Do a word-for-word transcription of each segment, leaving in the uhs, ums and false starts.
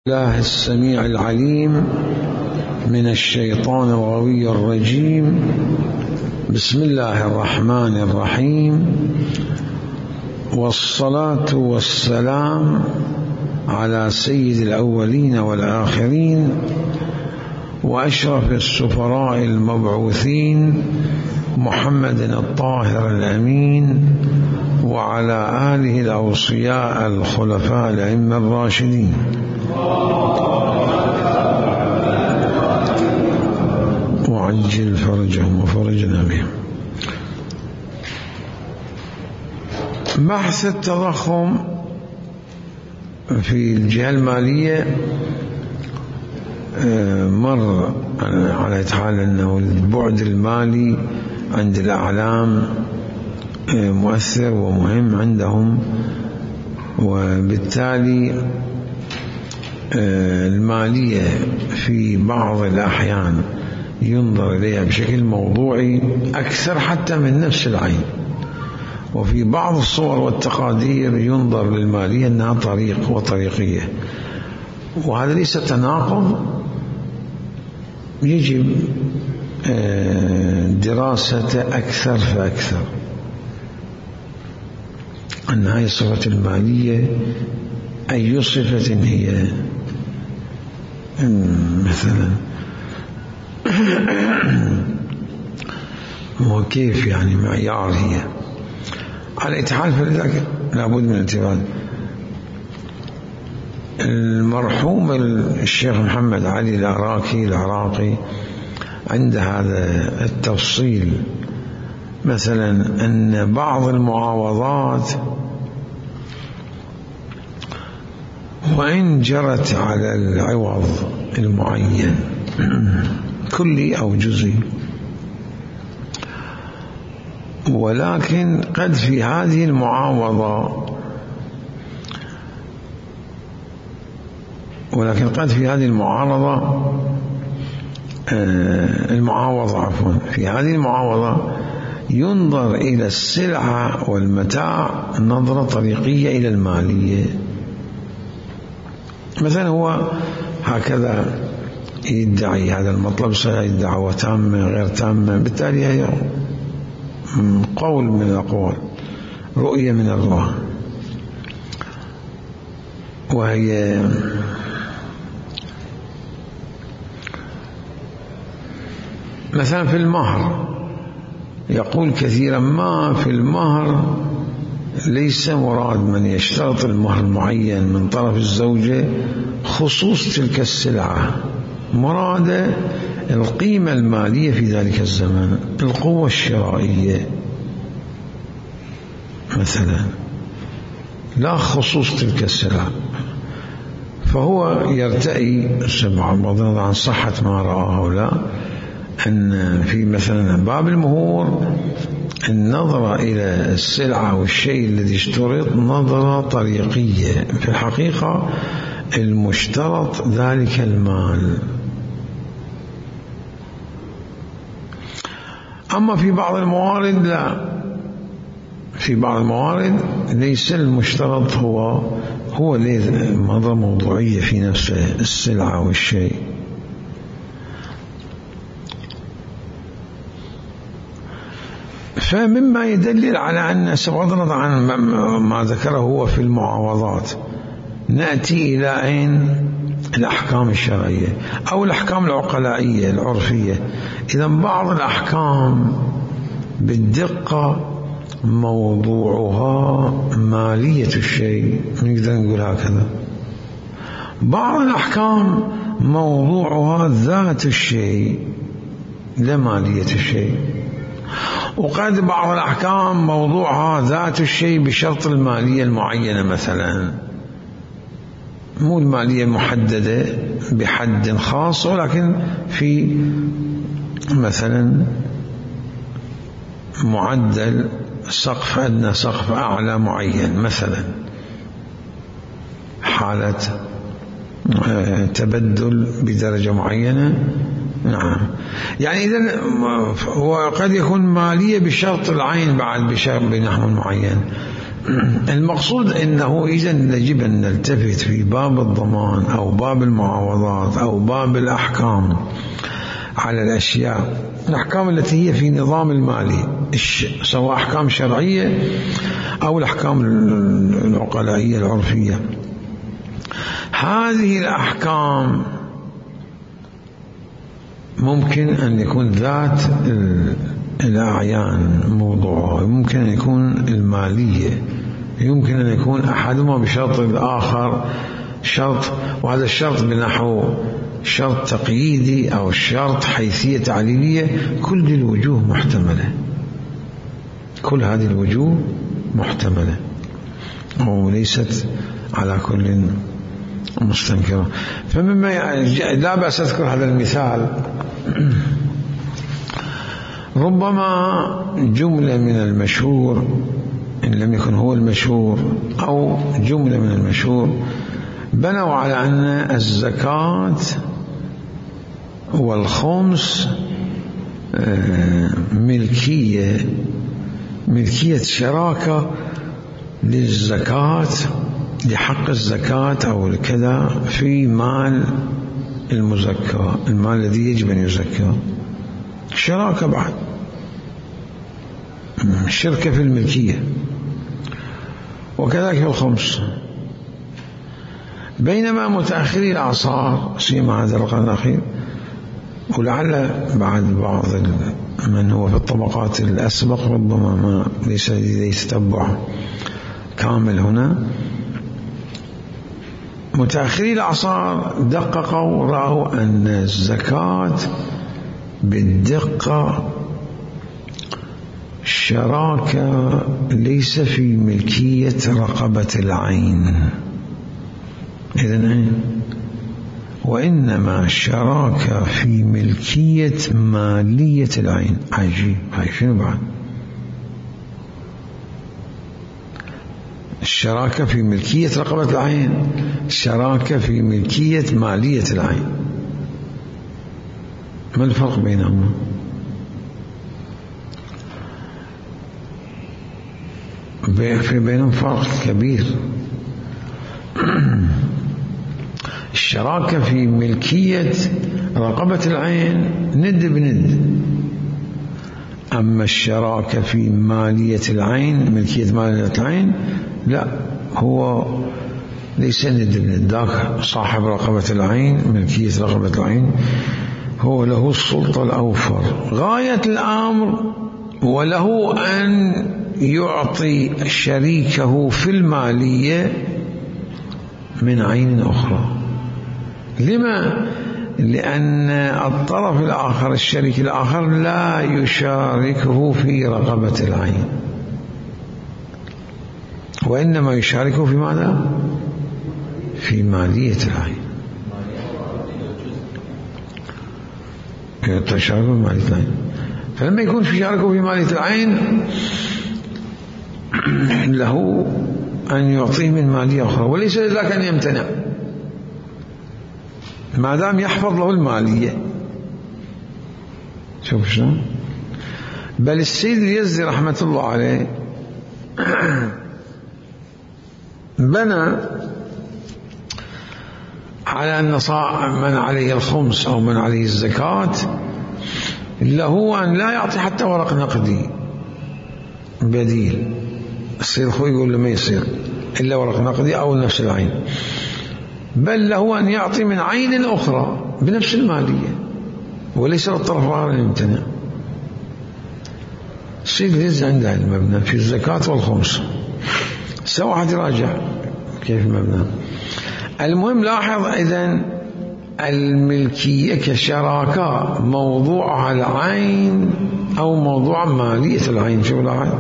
الله السميع العليم من الشيطان الغوي الرجيم. بسم الله الرحمن الرحيم، والصلاة والسلام على سيد الأولين والآخرين وأشرف السفراء المبعوثين محمد الطاهر الأمين وعلى آله الأوصياء الخلفاء الأئمة الراشدين وعجل فرجهم وفرجنا بهم. بحث التضخم في الجهة المالية مر على حال أنه البعد المالي عند الأعلام مؤثر ومهم عندهم، وبالتالي المالية في بعض الأحيان ينظر إليها بشكل موضوعي أكثر حتى من نفس العين، وفي بعض الصور والتقادير ينظر للمالية أنها طريق وطريقية، وهذا ليس تناقض، يجب دراسة أكثر فأكثر أن هذه الصفة المالية أي صفة هي، مثلا وكيف يعني معيار هي على إتحال، فلذلك لابد من الانتباه. المرحوم الشيخ محمد علي العراقي العراقي عند هذا التفصيل، مثلا أن بعض المعاوضات وإن جرت على العوض المعين كلي أو جزئي، ولكن قد في هذه المعاوضة ولكن قد في هذه المعارضة المعاوضة عفوا في هذه المعاوضة ينظر إلى السلعة والمتاع نظرة طريقية إلى المالية. مثلا هو هكذا يدعي هذا المطلب، سيدعوة تامة غير تامة، بالتالي هي قول من الأقوال، رؤية من الرؤى، وهي مثلا في المهر يقول كثيرا ما في المهر ليس مراد من يشترط المهر المعين من طرف الزوجة خصوص تلك السلعة، مراد القيمة المالية في ذلك الزمان، القوة الشرائية مثلا، لا خصوص تلك السلعة. فهو يرتئي بغض النظر عن صحة ما رآه أو لا أن في مثلا باب المهور النظرة إلى السلعة والشيء الذي اشترط نظرة طريقية، في الحقيقة المشترط ذلك المال. أما في بعض الموارد لا، في بعض الموارد ليس المشترط هو هو نظرة موضوعية في نفسه، السلعة والشيء. فمما يدلل على أن بغض النظر عن ما ذكره هو في المعاوضات، نأتي إلى أين؟ الأحكام الشرعية أو الأحكام العقلائية العرفية. إذا بعض الأحكام بالدقة موضوعها مالية الشيء، نقدر نقول هكذا، بعض الأحكام موضوعها ذات الشيء لا مالية الشيء، وقد بعض الأحكام موضوعها ذات الشيء بشرط المالية المعينة، مثلا مو المالية المحددة بحد خاص، ولكن في مثلا معدل سقف أدنى سقف أعلى معين، مثلا حالة تبدل بدرجة معينة. نعم، يعني إذن هو قد يكون مالية بشرط العين بعد بشرط بنحو معين، المقصود أنه إذا يجب أن نلتفت في باب الضمان أو باب المعاوضات أو باب الأحكام على الأشياء، الأحكام التي هي في نظام المالي، سواء أحكام شرعية أو الأحكام العقلائية العرفية. هذه الأحكام ممكن أن يكون ذات الأعيان موضوعها، ممكن أن يكون المالية، يمكن أن يكون أحدهما بشرط الآخر شرط، وهذا الشرط بنحو شرط تقييدي أو شرط حيثية تعليلية. كل الوجوه محتملة، كل هذه الوجوه محتملة وليست على كل مستنكرة. فمما لا بأس أذكر هذا المثال، ربما جملة من المشهور إن لم يكن هو المشهور أو جملة من المشهور بنوا على أن الزكاة والخمس ملكية ملكية شراكة للزكاة، لحق الزكاة أو كذا في مال المزكى، المال الذي يجب أن يزكى، شراكة بعد، شركة في الملكية، وكذلك في الخمس. بينما متأخري الأعصار سيما هذا القرن الأخير، ولعل بعد بعض من هو في الطبقات الأسبق ربما ما ليس لديه تتبع كامل هنا، متأخري الأعصار دققوا رأوا أن الزكاة بالدقة شراكة ليس في ملكية رقبة العين، إذن وإنما شراكة في ملكية مالية العين. عجيب، هاي شنو بعد؟ الشراكة في ملكية رقبة العين، الشراكة في ملكية مالية العين، ما الفرق بينهما؟ في بينهم فرق كبير. الشراكة في ملكية رقبة العين ند بند، أما الشراكة في مالية العين، ملكية مالية العين، لا، هو ليس ند بند. ذاك صاحب رقبة العين، ملكية رقبة العين، هو له السلطة الأوفر غاية الأمر، وله أن يعطي شريكه في المالية من عين أخرى. لما؟ لأن الطرف الآخر، الشريك الآخر، لا يشاركه في رقبة العين، وإنما يشاركه في ماذا؟ في مالية العين، تشاركه في مالية العين. فلما يكون في شاركه في مالية العين له أن يعطيه من مالية أخرى، وليس لك أن يمتنع ما دام يحفظ له المالية. شوف شلون. بل السيد اليزدي رحمة الله عليه بنى على أن من عليه الخمس أو من عليه الزكاة له أن لا يعطي حتى ورق نقدي بديل. السيد خوي يقول له ما يصير إلا ورق نقدي أو نفس العين، بل له أن يعطي من عين أخرى بنفس المالية، وليس للطرف الآخر أن يمتنع. السيد اليزدي عنده المبنى في الزكاة والخمس، سوى واحد يراجع كيف المبنى. المهم لاحظ إذن الملكية كشراكة موضوعها العين أو موضوع مالية العين. شو لاحظ؟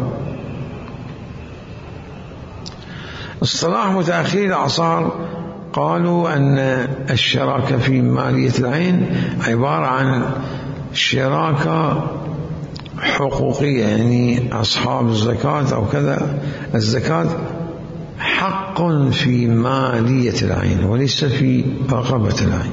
اصطلاح متأخري الأعصار قالوا أن الشراكة في مالية العين عبارة عن شراكة حقوقية، يعني أصحاب الزكاة أو كذا، الزكاة حق في مالية العين وليس في رقبة العين.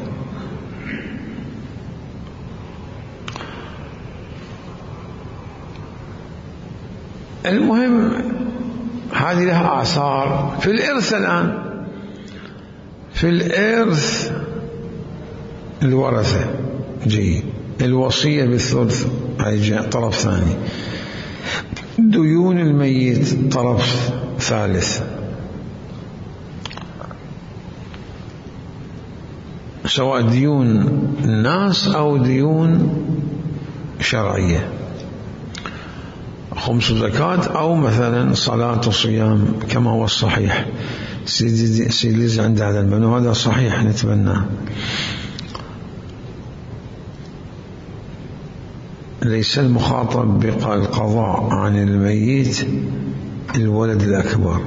المهم هذه لها آثار في الإرث. الآن في الإرث الورثة جيد، الوصية بالثلث هي طرف ثاني، ديون الميت طرف ثالث، سواء ديون الناس أو ديون شرعية، خمس زكاة أو مثلا صلاة وصيام كما هو الصحيح. سيدي سيدي عند هذا المنو هذا صحيح نتبناه. ليس المخاطب بالقضاء عن الميت الولد الأكبر.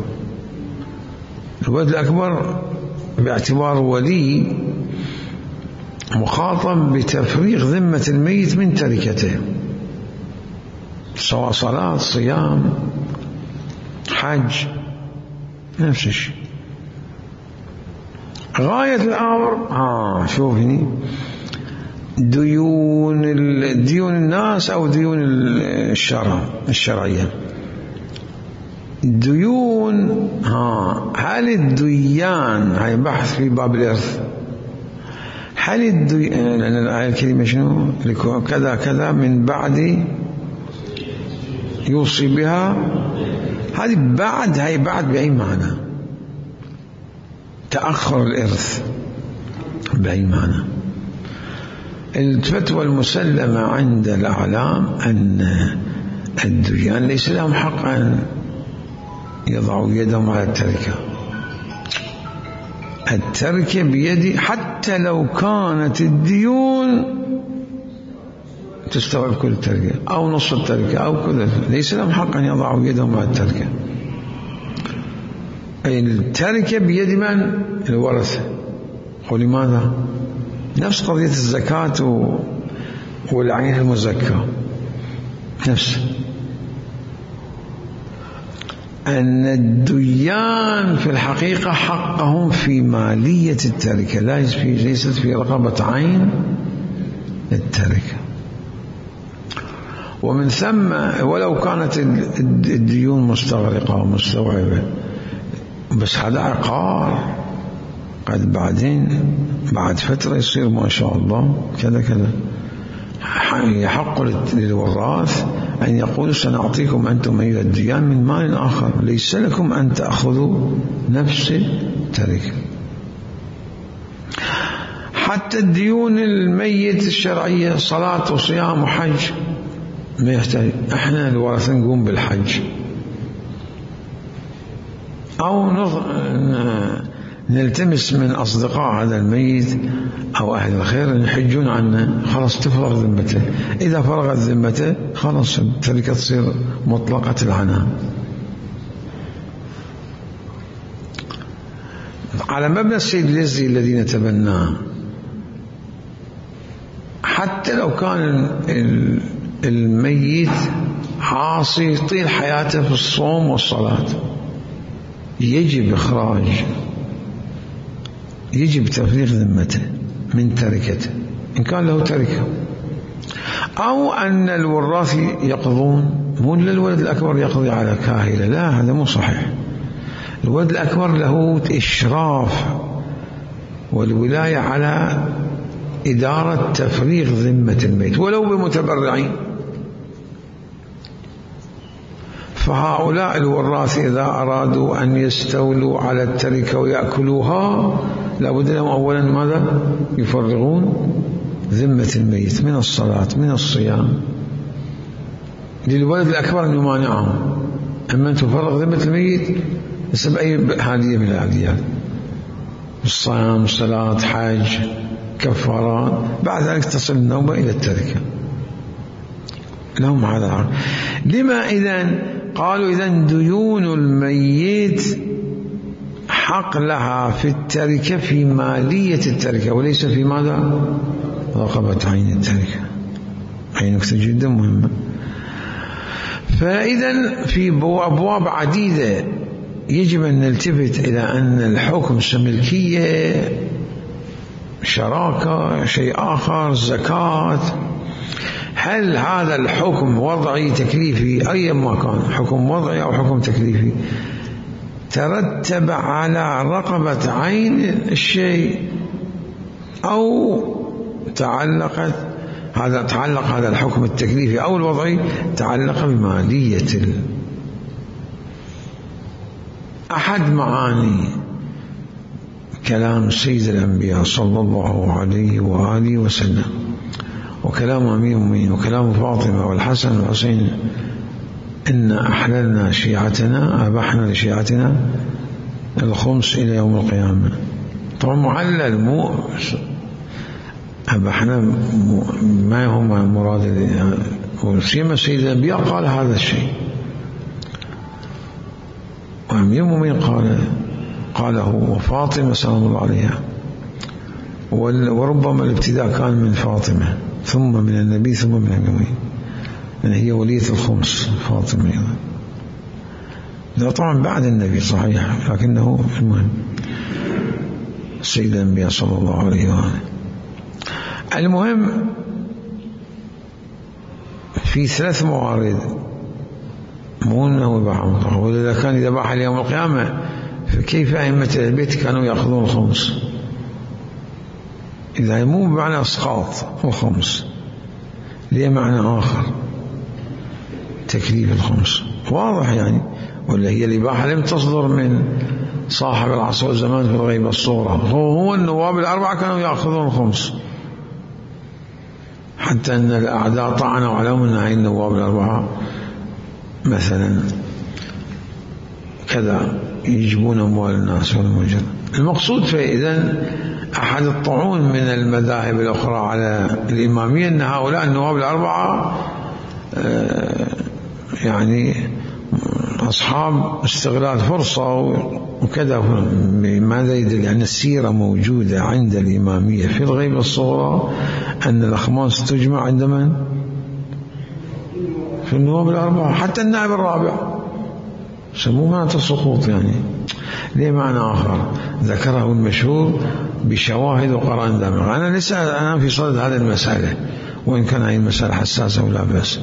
الولد الأكبر باعتبار ولي مخاطب بتفريغ ذمة الميت من تركته، سواء صلاة صيام حج نفس الشيء. غاية الأمر ها شوف هني ديون ديون الناس أو ديون الشرع الشرعية. الديون ها هل الديان هاي بحث في باب الإرث. هل الديان لأن الآية الكريمة شنو كذا كذا من بعد يوصي بها، هذه بعد هاي بعد بأي معنى؟ تأخر الإرث بأي معنى؟ الفتوى المسلمة عند الأعلام أن الديان ليس لهم حق أن يضعوا يدهم على التركة. التركة بيد حتى لو كانت الديون تستوعب كل التركة أو نصف التركة أو كل، ليس لهم حق أن يضعوا يدهم على التركة. أي التركة بيد من؟ الورثة. ولماذا؟ نفس قضية الزكاة والعين المزكى، نفس أن الديان في الحقيقة حقهم في مالية التركة، ليست في رقبة عين التركة. ومن ثم ولو كانت الديون مستغرقة ومستوعبة، بس هذا عقار قد بعدين بعد فترة يصير ما شاء الله كذا كذا، يحق للوراث أن يقول سنعطيكم أنتم أيها الديان من مال آخر، ليس لكم أن تأخذوا نفس التركة. حتى الديون الميت الشرعية صلاة وصيام وحج ما يحتاج، احنا الورثة نقوم بالحج أو نلتمس من أصدقاء هذا الميت أو أهل الخير يحجون عنه، خلاص تفرغ ذمته. إذا فرغت ذمته خلاص التركة تصير مطلقة العنان. على مبنى السيد اليزدي الذي نتبناه، حتى لو كان الميت عاصي طيل حياته في الصوم والصلاة، يجب إخراج يجب تفريغ ذمته من تركته إن كان له تركة، أو أن الوراث يقضون، مو الولد الأكبر يقضي على كاهلة، لا هذا مو صحيح. الولد الأكبر له إشراف والولاية على إدارة تفريغ ذمة الميت ولو بمتبرعين. فهؤلاء الوراث إذا أرادوا أن يستولوا على التركة ويأكلوها لابد لهم أولا ماذا؟ يفرغون ذمة الميت من الصلاة من الصيام. للولد الأكبر أن يمانعهم، أما أن تفرغ ذمة الميت بسبب أي هادية من العاديات، الصيام صلاة حج كفارات، بعد ذلك تصل النوبة إلى التركة. لهم هذا العقل. لما إذن قالوا إذن ديون الميت حق لها في التركة في مالية التركة وليس في ماذا؟ رقبة عين التركة. هي نكتة جدا مهمة. فإذا في أبواب عديدة يجب أن نلتفت إلى أن الحكم ملكية، شراكة، شيء آخر، زكاة. هل هذا الحكم وضعي تكليفي أي ما كان، حكم وضعي أو حكم تكليفي، ترتب على رقبة عين الشيء أو تعلقت هذا تعلق هذا الحكم التكليفي أو الوضعي تعلق بمالية ال... أحد معاني كلام سيد الأنبياء صلى الله عليه وآله وسلم وكلام أمير المؤمنين وكلام فاطمة والحسن والحسين إن أحللنا شيعتنا أبحنا لشيعتنا الخمس إلى يوم القيامة. طبعا معلل مو أبحنا ما هو مراد وسيما سيد الأنبياء قال هذا الشيء وأمير المؤمنين قال قاله وفاطمة سلام الله عليها وربما الابتداء كان من فاطمة ثم من النبي ثم من النبي يعني هي ولية الخمس فاطمة ده طبعا بعد النبي صحيح لكنه المهم سيد الأنبياء صلى الله عليه وآله. المهم في ثلاث موارد مو انه يباح مطلقا ولذا كان اذا باح ليوم القيامه فكيف ائمه البيت كانوا ياخذون الخمس اذا مو بمعنى اسقاط الخمس ليه معنى اخر تكليف الخمس واضح يعني ولا هي الاباحه لم تصدر من صاحب العصر والزمان في الغيب الصوره هو هو النواب الاربعه كانوا ياخذون الخمس حتى ان الاعداء طعنوا عليهم ان هاي النواب الاربعه مثلا كذا يجيبون أموال الناس والمجر. المقصود فإذا أحد الطعون من المذاهب الأخرى على الإمامية أن هؤلاء النواب الأربعة يعني أصحاب استغلال فرصة وكذا. ماذا يدل؟ يعني السيرة موجودة عند الإمامية في الغيبة الصغرى أن الأخماس تجمع عند من؟ في النواب الأربعة حتى النائب الرابع سموه معنى السقوط يعني ليه معنى آخر ذكره المشهور بشواهد وقرائن دامغة. أنا لسه أنا في صدد هذه المسألة وإن كان هذه المسألة حساسة ولا بأس.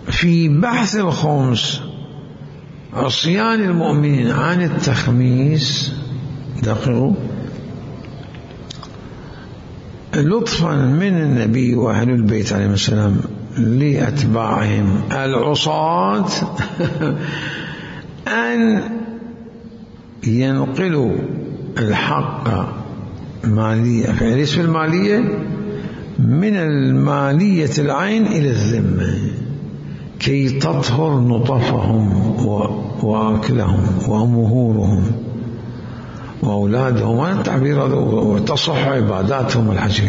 في بحث الخمس عصيان المؤمنين عن التخميس دقيقوا لطفا من النبي وأهل البيت عليه السلام لأتباعهم العصاة أن ينقلوا الحق مالية يعني اسم المالية من المالية العين إلى الذمة كي تطهر نطفهم وأكلهم ومهورهم وأولادهم والتعبير وتصح عباداتهم والحج.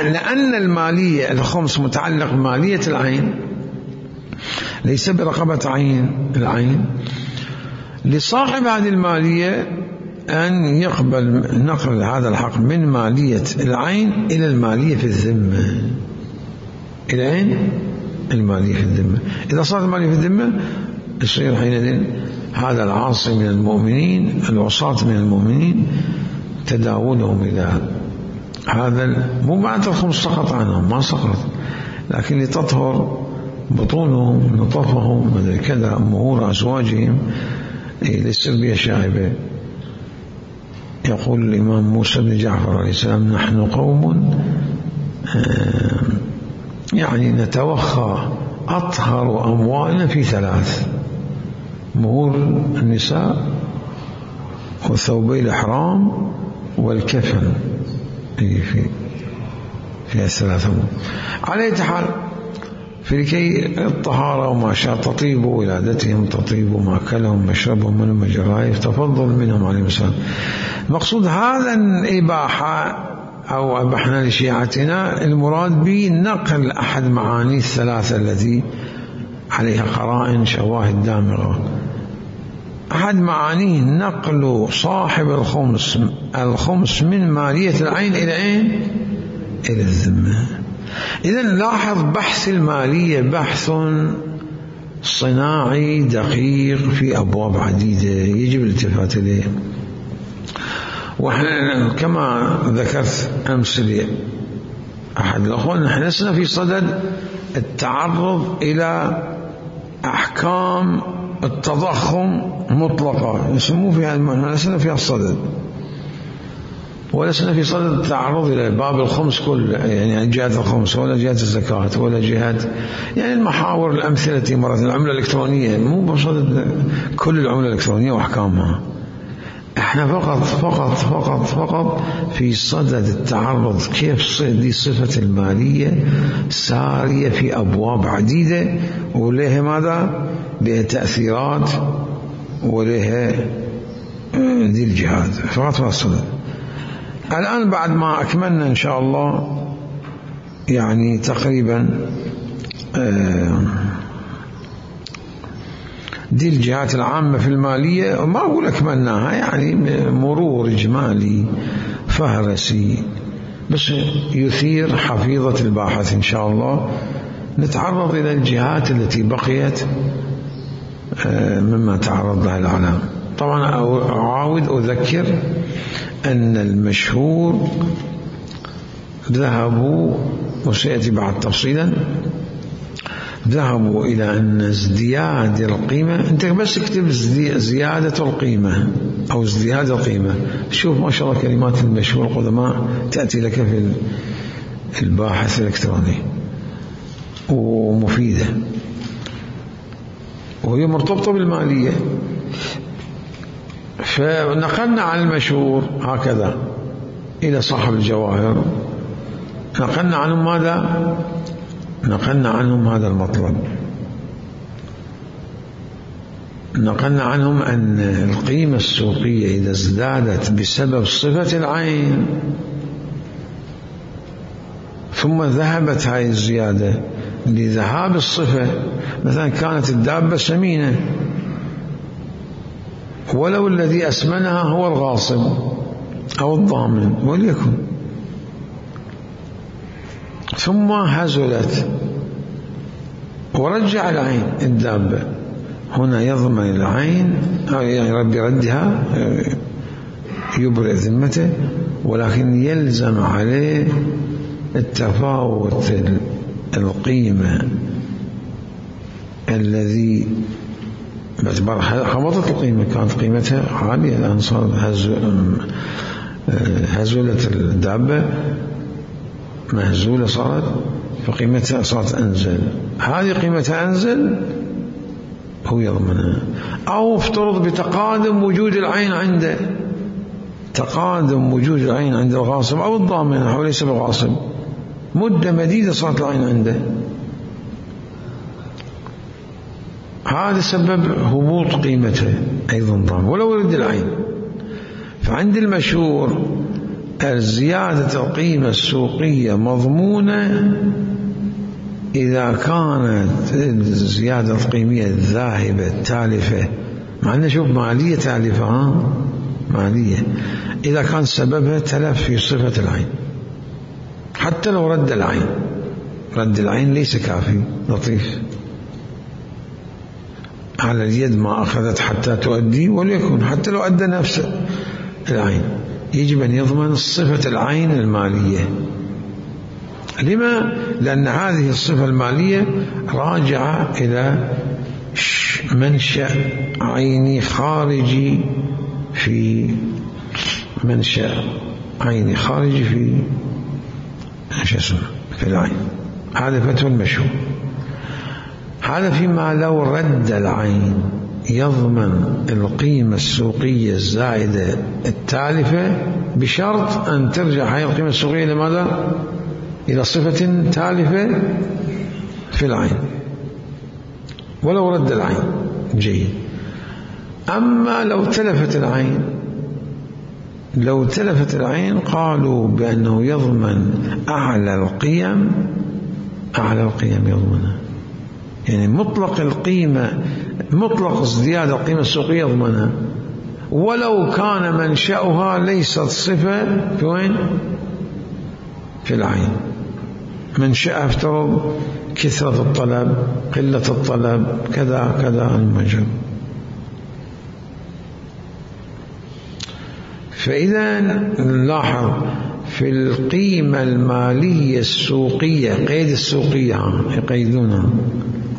لأن المالية الخمس متعلق بمالية العين ليس برقبة عين العين لصاحب هذه المالية أن يقبل نقل هذا الحق من مالية العين إلى المالية في الذمة إلى أين؟ المالية في الذمة. إذا صارت المالية في الذمة يصير حينئذ هذا العاصي من المؤمنين العصاة من المؤمنين تداولهم إلى هذا مو معنى الخمس سقط عنهم ما سقط لكن لتطهر بطونهم نطفهم كذا مهور أزواجهم للسلبية الشائبة. يقول الإمام موسى بن جعفر عليه السلام نحن قوم يعني نتوخى أطهر أموالنا في ثلاث مهور النساء وثوبي الإحرام والكفن في في الثلاثة على حال في لكي الطهارة وما شاء تطيب ولادتهم تطيب مأكلهم مشربهم من مجرائف تفضل منهم عليه السلام. المقصود هذا الإباحة أو أبحنا لشيعتنا المراد بنقل أحد معاني الثلاثة التي عليها قرائن شواهد دامغة. أحد معانيه نقل صاحب الخمس الخمس من مالية العين إلى أين؟ إلى الذمة. إذن لاحظ بحث المالية بحث صناعي دقيق في أبواب عديدة يجب الالتفات إليه. وكما ذكرت أمس لي أحد الأخوان نحن لسنا في صدد التعرض إلى أحكام التضخم مطلقة يسموه فيها المعنى، لسنا فيها الصدد، ولسنا في صدد التعرض إلى باب الخمس كل، يعني جهة الخمس ولا جهة الزكاة ولا جهة يعني المحاور الأمثلة التي مرت. العملة الإلكترونية مو بصدد كل العملة الإلكترونية وأحكامها، احنا فقط فقط فقط فقط في صدد التعرض كيف دي صفة المالية سارية في أبواب عديدة ولها ماذا؟ لها تأثيرات ولها دي الجهات، فقط في الصدد. الآن بعد ما أكملنا إن شاء الله يعني تقريبا دي الجهات العامة في المالية، ما أقول أكملناها يعني مرور إجمالي فهرسي بس يثير حفيظة الباحث إن شاء الله. نتعرض إلى الجهات التي بقيت مما تعرض لها الإعلام. طبعا أعاود أذكر أن المشهور ذهبوا وسيأتي بعد تفصيلا ذهبوا إلى أن ازدياد القيمة، أنت بس اكتب زيادة القيمة أو ازدياد القيمة، شوف ما شاء الله كلمات المشهور القدماء تأتي لك في الباحث الإلكتروني ومفيدة وهي مرتبطة بالمالية. فنقلنا عن المشهور هكذا إلى صاحب الجواهر، نقلنا عنهم ماذا؟ نقلنا عنهم هذا المطلب، نقلنا عنهم أن القيمة السوقية إذا ازدادت بسبب صفة العين ثم ذهبت هذه الزيادة لذهاب الصفة، مثلا كانت الدابة سمينة ولو الذي أسمنها هو الغاصب أو الضامن وليكن، ثم هزلت ورجع العين الدابة، هنا يضمن العين يعني ربي ردها يبرئ ذمته، ولكن يلزم عليه التفاوت القيمة الذي باعتبار هبطت القيمة، كانت قيمتها عالية الآن صار هزلت الدابة مهزولة صارت فقيمتها صارت أنزل، هذه قيمتها أنزل هو يضمنها. أو افترض بتقادم وجود العين عنده، تقادم وجود العين عند الغاصب أو الضامن هو ليس بالغاصب، مدة مديدة صارت العين عنده، هذا سبب هبوط قيمته أيضا ضامن ولو يرد العين. فعند المشهور زيادة القيمة السوقية مضمونة إذا كانت الزيادة القيمية الذاهبة التالفة، مع أنه شوف مالية تالفة ها مالية، إذا كان سببها تلف في صفة العين حتى لو رد العين، رد العين ليس كافي لطيف، على اليد ما أخذت حتى تؤدي وليكن حتى لو أدى نفس العين يجب أن يضمن صفة العين المالية. لما؟ لأن هذه الصفة المالية راجعة إلى منشأ عيني خارجي في منشأ عيني خارجي في ايش اسمه في العين، هذا فتوى المشهور. هذا فيما لو رد العين يضمن القيمة السوقية الزائدة التالفة بشرط أن ترجع هذه القيمة السوقية لماذا؟ إلى صفة تالفة في العين ولو رد العين جيد. أما لو تلفت العين، لو تلفت العين قالوا بأنه يضمن أعلى القيم، أعلى القيم يضمنها، يعني مطلق القيمة مطلق ازدياد القيمة السوقية يضمنها ولو كان منشأها ليست صفة في وين؟ في العين، منشأها افترض كثرة الطلب قلة الطلب كذا كذا المجال. فإذا نلاحظ في في القيمة المالية السوقية، قيد السوقية يقيدونها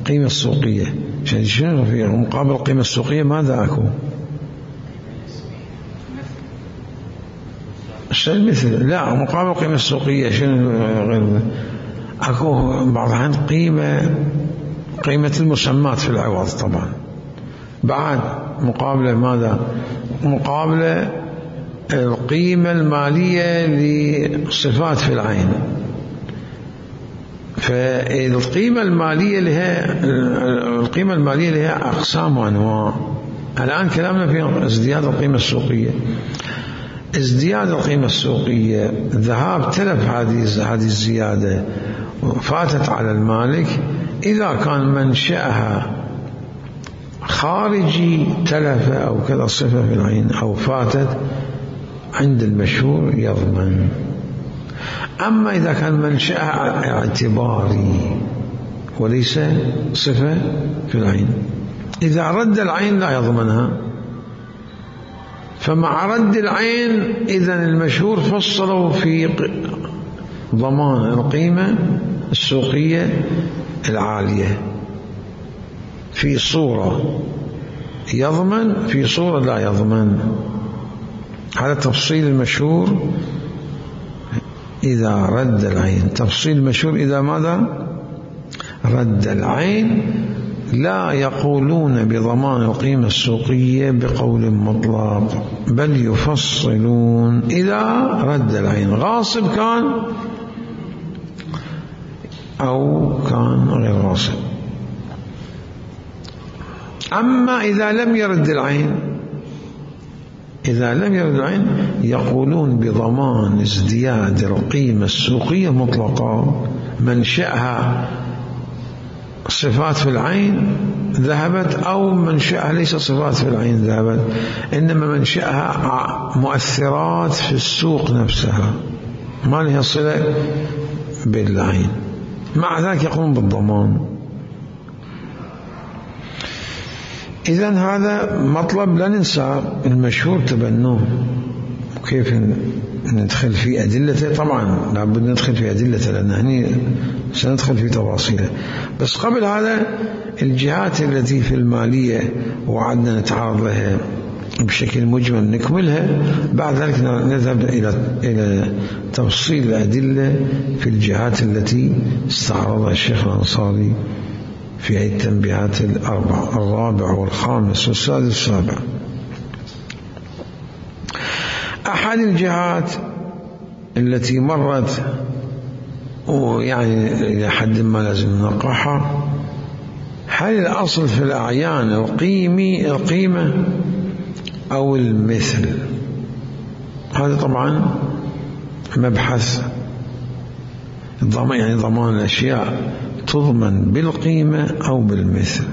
قيمة السوقية، شنو في مقابل القيمة السوقية ماذا أكو؟ شنو المثل؟ لا مقابل القيمة السوقية شنو غير أكو بعض الأحيان قيمة قيمة المسمات في العوض طبعا، بعد مقابلة ماذا؟ مقابلة القيمة المالية لصفات في العين. فالقيمة المالية لها القيمة المالية لها أقسام وأنواع. الآن كلامنا في ازدياد القيمة السوقية. ازدياد القيمة السوقية ذهاب تلف هذه هذه الزيادة فاتت على المالك إذا كان منشأها خارجي تلف أو كذا صفة في العين أو فاتت عند المشهور يضمن. أما إذا كان منشأها اعتباري وليس صفة في العين، إذا رد العين لا يضمنها. فمع رد العين إذن المشهور فصلوا في ضمان القيمة السوقية العالية، في صورة يضمن في صورة لا يضمن. هذا تفصيل المشهور إذا رد العين. تفصيل المشهور إذا ماذا؟ رد العين. لا يقولون بضمان القيمة السوقية بقول مطلق، بل يفصلون إذا رد العين غاصب كان أو كان غير غاصب. أما إذا لم يرد العين إذا لم يرد العين يقولون بضمان ازدياد القيمة السوقية مطلقا، منشأها صفات في العين ذهبت أو منشأها ليس صفات في العين ذهبت، إنما منشأها مؤثرات في السوق نفسها ما لها صلة بالعين، مع ذلك يقوم بالضمان. إذن هذا مطلب لا ننسى، المشهور تبنوه. وكيف ندخل في أدلته؟ طبعا لابد ندخل في أدلته لأن هني سندخل في تفاصيله. بس قبل هذا الجهات التي في المالية وعدنا نتعرض لها بشكل مجمل نكملها، بعد ذلك نذهب إلى إلى تفصيل الأدلة في الجهات التي استعرضها الشيخ الأنصاري في هذه التنبيهات الأربع، الرابع والخامس والسادس والسابع. أحد الجهات التي مرت ويعني إلى حد ما لازم نناقشها، هل الأصل في الأعيان القيمي القيمة أو المثل؟ هذا طبعا مبحث ضمان، يعني ضمان الأشياء تضمن بالقيمة أو بالمثل.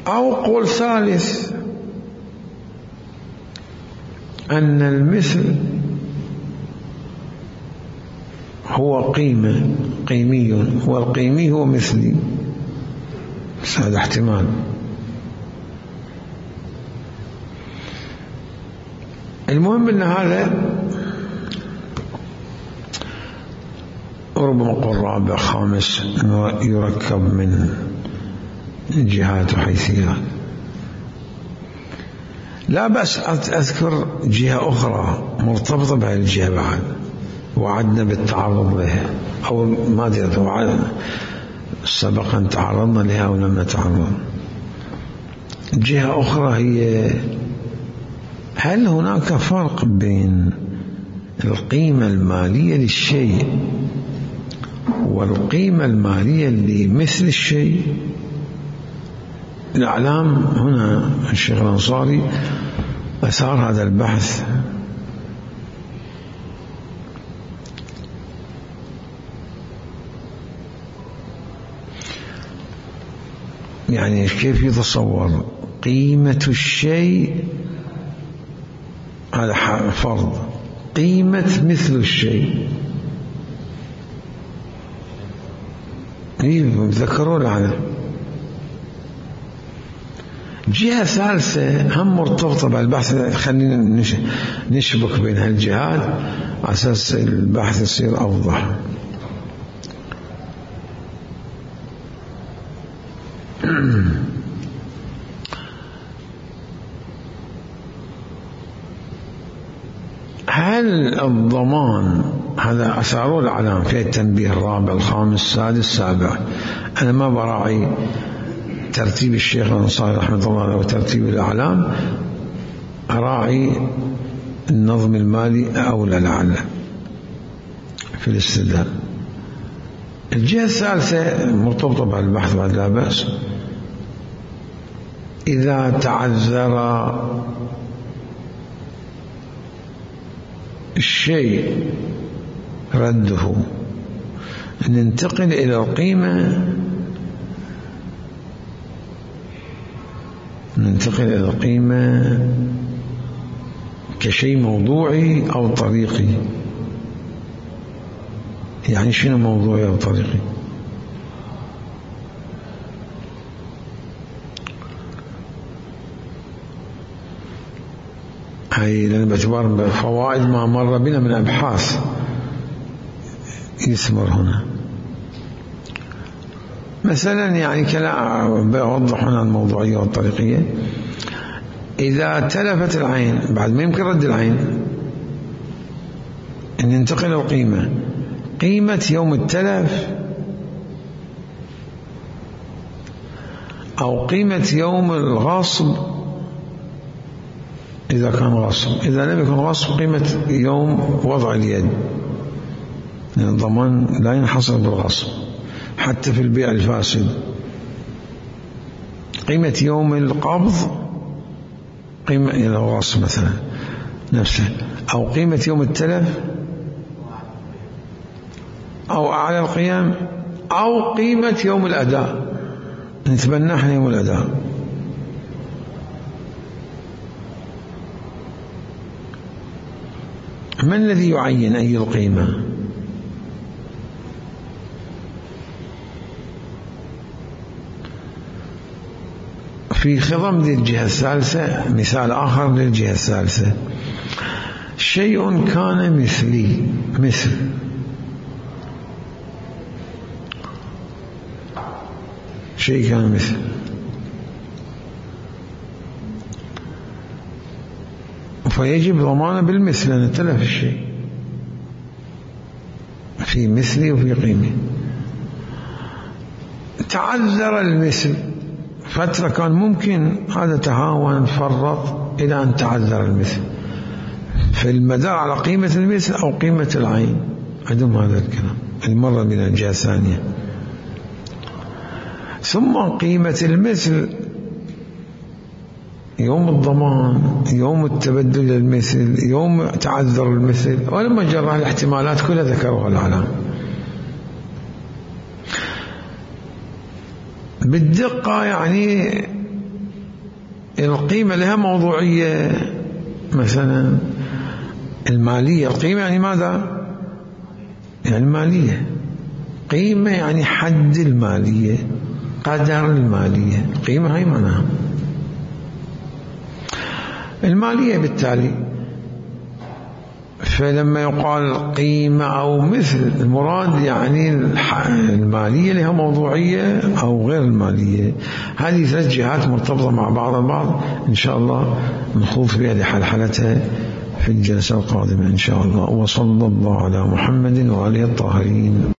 أو قول ثالث أن المثل هو قيمة قيمي والقيمي هو مثلي، بس هذا احتمال. المهم أن هذا ربما قول رابع خامس يركب من جهات وحيثيات. لا بأس أذكر جهة أخرى مرتبطة بهذه الجهة بعد وعدنا بالتعرض لها، أو ما أدري وعدنا سبقا تعرضنا لها أو لم نتعرض. جهة أخرى هي هل هناك فرق بين القيمة المالية للشيء والقيمة المالية لمثل الشيء؟ الإعلام هنا الشيخ الأنصاري أثار هذا البحث. يعني كيف يتصور قيمة الشيء؟ هذا فرض. قيمة مثل الشيء ذكروا لنا جهة ثالثة هم مرتبطة بالبحث، خلينا نشبك بين هالجهات على أساس البحث يصير أوضح. هل الضمان هذا أثاره الأعلام في التنبيه الرابع الخامس السادس السابع، أنا ما براعي ترتيب الشيخ الأنصاري رحمة الله عليه وترتيب الأعلام، أراعي النظم المالي أولى لعل في الاستدلال. الجهة الثالثة مرتبطة بالبحث بعد لا بأس، إذا تعذر الشيء رده ننتقل إلى القيمة ننتقل إلى القيمة كشيء موضوعي أو طريقي. يعني شنو موضوعي أو طريقي؟ هاي لأن باعتبار فوائد ما مر بنا من أبحاث يثمر هنا. مثلا يعني كلا بوضح هنا الموضوعية والطريقية. إذا تلفت العين بعد ما يمكن رد العين، أن ينتقل القيمة، قيمة يوم التلف أو قيمة يوم الغصب إذا كان غصب، إذا لم يكن غصب قيمة يوم وضع اليد، يعني الضمان لا ينحصر بالغصب حتى في البيع الفاسد. قيمة يوم القبض قيمة إذا غصب مثلا نفسه، أو قيمة يوم التلف أو أعلى القيام، أو قيمة يوم الأداء، نتبنى احنا يوم الأداء. من الذي يعين أي القيمة؟ في خضم للجهة الثالثة مثال آخر للجهة الثالثة، شيء كان مثلي، مثل شيء كان مثل فيجب ضمانه بالمثل لأن تلف الشيء في مثلي وفي قيمة. تعذر المثل فترة كان ممكن، هذا تهاون فرط إلى أن تعذر المثل، في المدار على قيمة المثل أو قيمة العين، عندهم هذا الكلام المرة من الجهة الثانية. ثم قيمة المثل يوم الضمان، يوم التبدل المثل، يوم تعذر المثل، ولما جرى الاحتمالات كلها ذكروها العلام بالدقة. يعني القيمة لها موضوعية، مثلا المالية، القيمة يعني ماذا؟ يعني المالية، قيمة يعني حد المالية، قدر المالية، القيمة هاي معناها المالية. بالتالي فلما يقال قيمة أو مثل، المراد يعني المالية لها موضوعية أو غير المالية. هذه ثلاث جهات مرتبطة مع بعض البعض، إن شاء الله نخوض فيها لحلحلتها في الجلسة القادمة إن شاء الله. وصلى الله على محمد وعلى الطاهرين.